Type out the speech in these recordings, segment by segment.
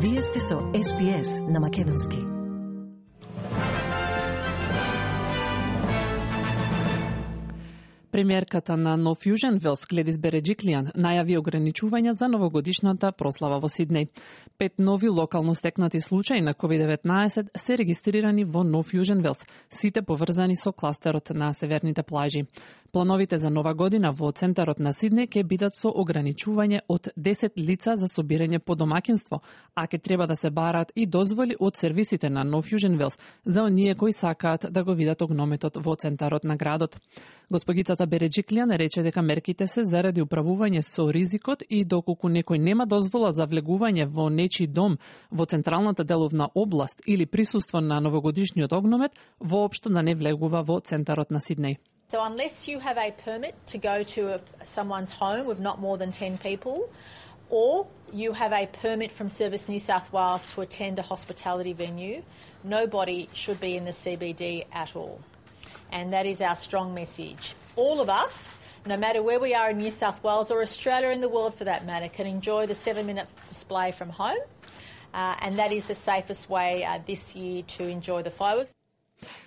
Вие сте со SPS на Македонски. Премиерката на Нов Јужен Велс Гледис Береджиклијан најави ограничувања за новогодишната прослава во Сиднеј. 5 нови локално стекнати случаи на COVID-19 се регистрирани во Нов Јужен Велс, сите поврзани со кластерот на северните плажи. Плановите за нова година во центарот на Сиднеј ќе бидат со ограничување од 10 лица за собирање по домаќинство, а ќе треба да се бараат и дозволи од сервисите на Нов Јужен Велс за оние кои сакаат да го видат огнометот во центарот на градот. Госпогицата Береджиклијан рече дека мерките се заради управување со ризикот и доколку некој нема дозвола за влегување во нечи дом во централната деловна област или присуство на новогодишниот огномет, воопшто да не влегува во центарот на Сиднеј. So unless you have a permit to go to someone's home with not more than 10 people, or you have a permit from Service New South Wales to attend a hospitality venue, nobody should be in the CBD at all. And that is our strong message. All of us, no matter where we are in New South Wales or Australia in the world for that matter, can enjoy the 7-minute display from home. And that is the safest way this year to enjoy the fireworks.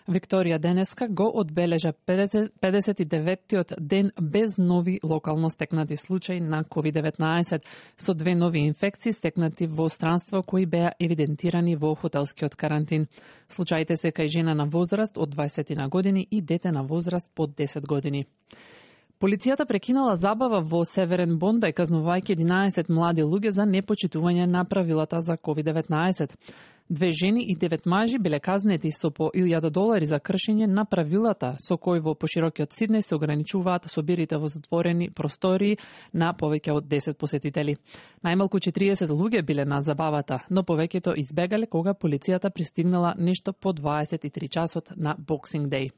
Викторија денеска го одбележа 59-тиот ден без нови локално стекнати случаи на COVID-19, со 2 нови инфекции стекнати во странство кои беа евидентирани во хотелскиот карантин. Случаите се кај жена на возраст од 20 на години и дете на возраст под 10 години. Полицијата прекинала забава во Северен Бондај, казнувајќи 11 млади луѓе за непочитување на правилата за COVID-19. 2 жени и 9 мажи биле казнети со по $1,000 за кршење на правилата со кои во поширокиот Сиднеј се ограничуваат собирите во затворени простории на повеќе од 10 посетители. Најмалку 40 луѓе биле на забавата, но повеќето избегале кога полицијата пристигнала нешто по 23 часот на Boxing Day.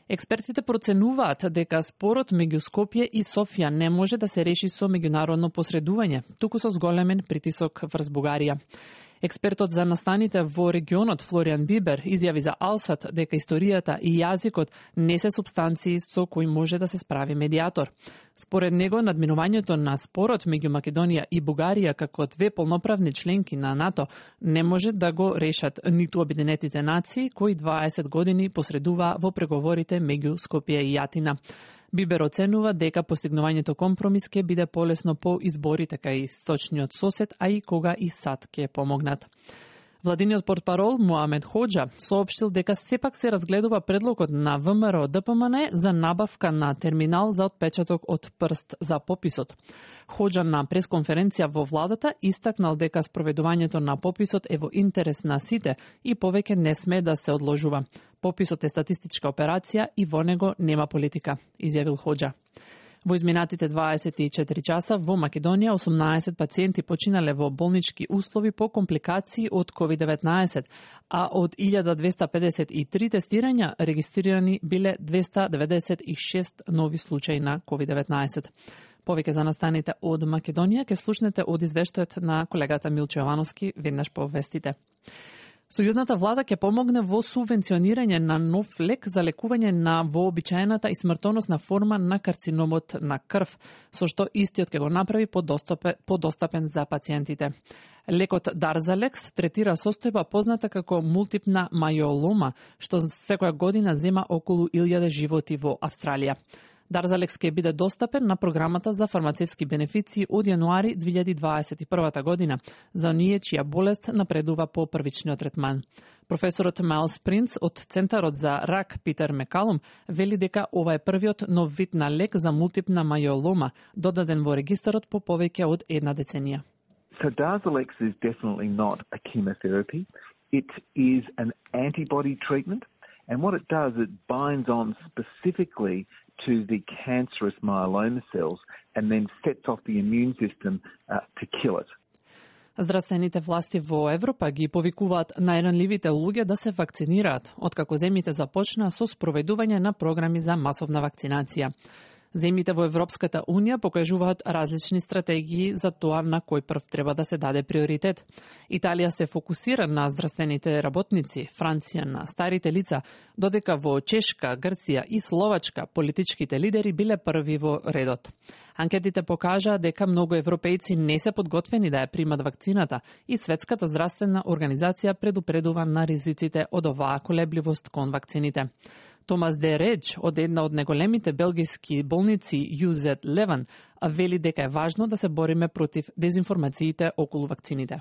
Експертите проценуваат дека спорот меѓу Скопје и Софија не може да се реши со меѓународно посредување, туку со зголемен притисок врз Бугарија. Експертот за настаните во регионот Флориан Бибер изјави за Алсат дека историјата и јазикот не се супстанции со кои може да се справи медијатор. Според него, надминувањето на спорот меѓу Македонија и Бугарија како 2 полноправни членки на НАТО не може да го решат ниту Обединетите нации, кои 20 години посредува во преговорите меѓу Скопје и Јатина. Бибер оценува дека постигнувањето компромис ќе биде полесно по изборите кај источниот сосед, а и кога и САД ќе помогнат. Владиниот портпарол Муамед Хоџа соопштил дека сепак се разгледува предлогот на ВМРО ДПМН за набавка на терминал за отпечаток од прст за пописот. Хоџа на пресконференција во владата истакнал дека спроведувањето на пописот е во интерес на сите и повеќе не сме да се одложува. Пописот е статистичка операција и во него нема политика, изјавил Хоџа. Во изминатите 24 часа во Македонија 18 пациенти починале во болнички услови по компликации од COVID-19, а од 1253 тестирања регистрирани биле 296 нови случаи на COVID-19. Повеќе за настаните од Македонија ќе слушнете од извештајот на колегата Милчо Јовановски веднаш по вестите. Сојузната влада ќе помогне во субвенционирање на нов лек за лекување на вообичаената и смртоносна форма на карциномот на крв, со што истиот ќе го направи подостапен за пациентите. Лекот Дарзалекс третира состојба позната како мултипна мајолома, што секоја година зема околу 1000 животи во Австралија. Дарзалекс ќе биде достапен на програмата за фармацевски бенефиции од јануари 2021 година за оние чија болест напредува по првичниот третман. Професорот Майлс Принц од Центарот за рак Питер Мекалум вели дека ова е првиот нов вид на лек за мултипна мајолома, додаден во регистарот по повеќе од една деценија. So Darzalex is definitely not a chemotherapy. It is an antibody treatment, and what it does, it binds on specifically to the cancerous myeloma cells and then sets off the immune system to kill it. Здравствените власти во Европа ги повикуваат најранливите луѓе да се вакцинираат, откако земјите започнаа со спроведување на програми за масовна вакцинација. Земјите во Европската Унија покажуваат различни стратегии за тоа на кој прв треба да се даде приоритет. Италија се фокусира на здравствените работници, Франција на старите лица, додека во Чешка, Грција и Словачка политичките лидери биле први во редот. Анкетите покажаа дека многу европејци не се подготвени да ја примат вакцината и Светската здравствена организација предупредува на ризиците од оваа колебливост кон вакцините. Томас Де Редж од една од најголемите белгиски болници UZ Леван вели дека е важно да се бориме против дезинформациите околу вакцините.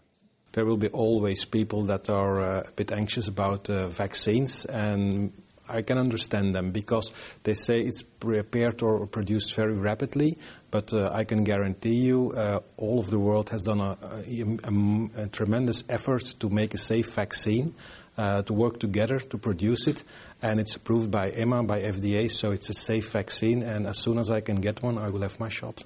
There will be always people that are a bit anxious about vaccines, and I can understand them because they say it's prepared or produced very rapidly, but I can guarantee you all of the world has done a tremendous effort to make a safe vaccine, to work together to produce it, and it's approved by EMA, by FDA, so it's a safe vaccine, and as soon as I can get one, I will have my shot.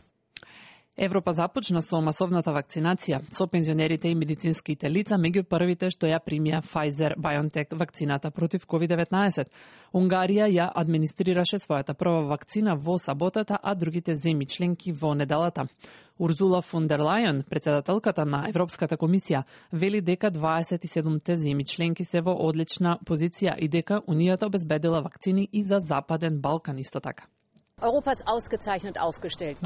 Европа започна со масовната вакцинација со пензионерите и медицинските лица меѓу првите што ја примија Pfizer-BioNTech вакцината против COVID-19. Унгарија ја администрираше својата прва вакцина во саботата, а другите земји членки во неделата. Урзула фон дер Лајен, председателката на Европската комисија, вели дека 27 земји членки се во одлична позиција и дека Унијата обезбедила вакцини и за Западен Балкан исто така.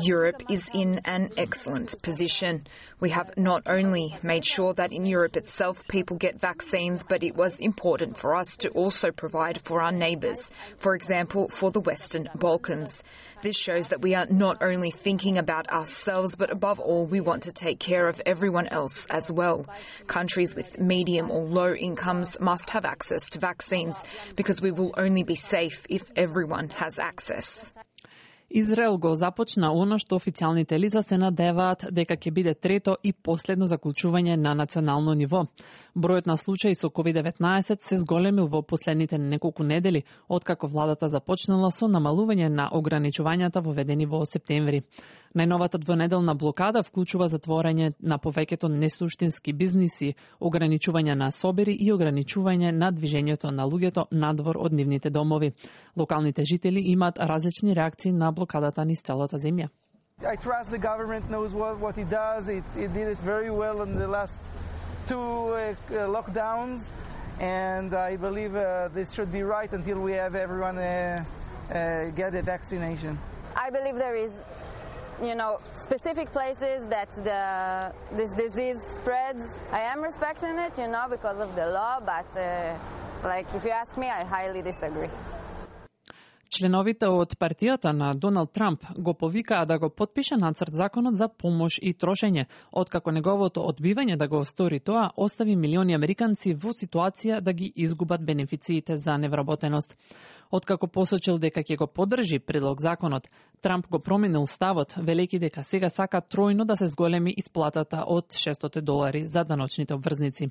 Europe is in an excellent position. We have not only made sure that in Europe itself people get vaccines, but it was important for us to also provide for our neighbours, for example, for the Western Balkans. This shows that we are not only thinking about ourselves, but above all, we want to take care of everyone else as well. Countries with medium or low incomes must have access to vaccines because we will only be safe if everyone has access. Израел го започна оно што официјалните лица се надеваат дека ќе биде трето и последно заклучување на национално ниво. Бројот на случаи со COVID-19 се зголемил во последните неколку недели, откако владата започнала со намалување на ограничувањата воведени во септември. Најновата двонеделна блокада вклучува затворање на повеќето несуштински бизниси, ограничување на собери и ограничување на движењето на луѓето надвор од нивните домови. Локалните жители имаат различни реакции на блокадата низ целата земја. I trust the government knows what it does. It did it very well in the last two lockdowns, and I believe this should be right until we have everyone get a vaccination. I believe there is, specific places that this disease spreads. I am respecting it, because of the law, but if you ask me, I highly disagree. Членовите од партијата на Доналд Трамп го повикаа да го потпише нацрт законот за помош и трошење, откако неговото одбивање да го стори тоа остави милиони американци во ситуација да ги изгубат бенефициите за невработеност. Откако посочил дека ќе го поддржи предлог законот, Трамп го променил ставот, велејќи дека сега сака тројно да се зголеми исплатата од $600 за даночните обврзници.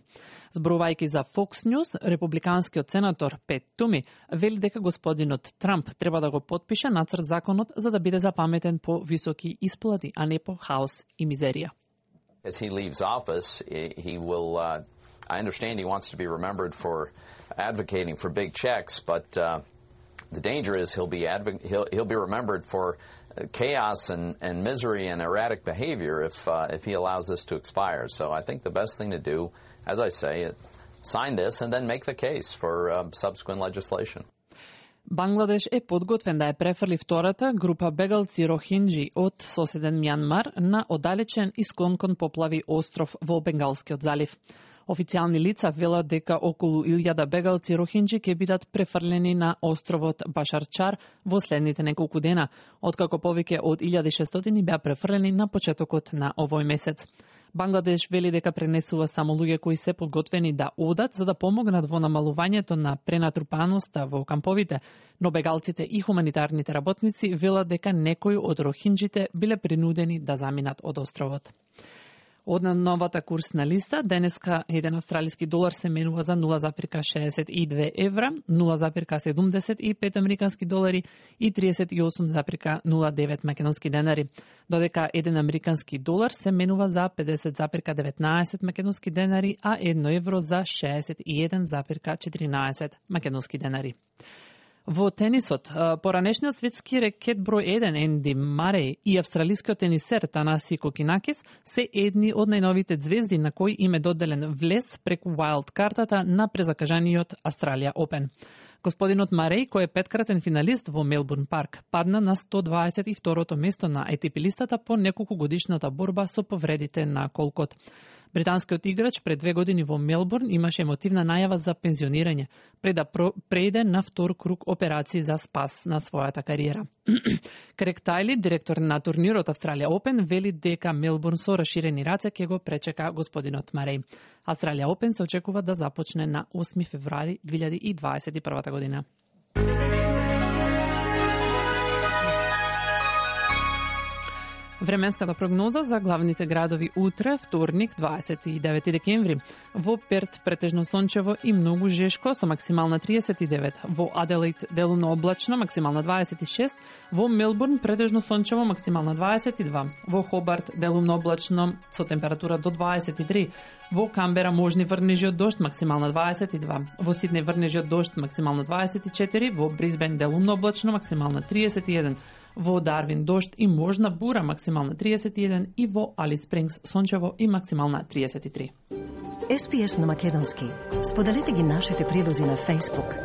Зборувајќи за Fox News, републиканскиот сенатор Пет Туми вели дека господинот Трамп треба да го потпише нацрт законот за да биде запаметен по високи исплати, а не по хаос и мизерија. As he leaves office, he will I understand he wants to be remembered for advocating for big checks, but the danger is he'll be remembered for chaos and misery and erratic behavior if he allows this to expire. So I think the best thing to do, as I say, sign this and then make the case for subsequent legislation. Бангладеш е подготвен да ја префрли втората група бегалци рохинџи од соседен Мјанмар на оддалечен и склон кон поплави остров во Бенгалскиот залив. Официјални лица велат дека околу 1000 бегалци рохинџи ќе бидат префрлени на островот Башарчар во следните неколку дена, откако повеќе од 1600 беа префрлени на почетокот на овој месец. Бангладеш вели дека пренесува само луѓе кои се подготвени да одат за да помогнат во намалувањето на пренатрупаноста во камповите, но бегалците и хуманитарните работници велат дека некои од рохинџите биле принудени да заминат од островот. Од новата курсна листа, денеска еден австралиски долар се менува за 0,62 евра, 0,75 американски долари и 38,09 македонски денари, додека еден американски долар се менува за 50,19 македонски денари, а 1 евро за 61,14 македонски денари. Во тенисот, поранешниот светски рекет број 1 Енди Мареј и австралискиот тенисер Танаси Кокинакис се едни од најновите звезди на кои им е доделен влез преку wild картата на презакажаниот Австралија Опен. Господинот Мареј, кој е петкратен финалист во Мелбурн парк, падна на 122-то место на ATP листата по неколку годишната борба со повредите на колкот. Британскиот играч пред 2 години во Мелбурн имаше емотивна најава за пензионирање, пред да прејде на втор круг операции за спас на својата кариера. Крек Тајли, директор на турнирот Австралија Опен, вели дека Мелбурн со расширени раце ќе го пречека господинот Мареј. Австралија Опен се очекува да започне на 8 февруари 2021 година. Временската прогноза за главните градови утре, вторник, 29 декември. Во Перт претежно сончево и многу жешко со максимална 39. Во Аделаид делумно облачно, максимална 26. Во Мелбурн претежно сончево, максимална 22. Во Хобарт делумно облачно со температура до 23. Во Камбера можни врнежи од дожд, максимална 22. Во Сиднеј врнежи од дожд, максимална 24. Во Брисбен делумно облачно, максимална 31. Во Дарвин дожд и можна бура, максимална 31, и во Алис Спрингс сончево и максимална 33. SPS на македонски. Споделете ги нашите прилози на Facebook,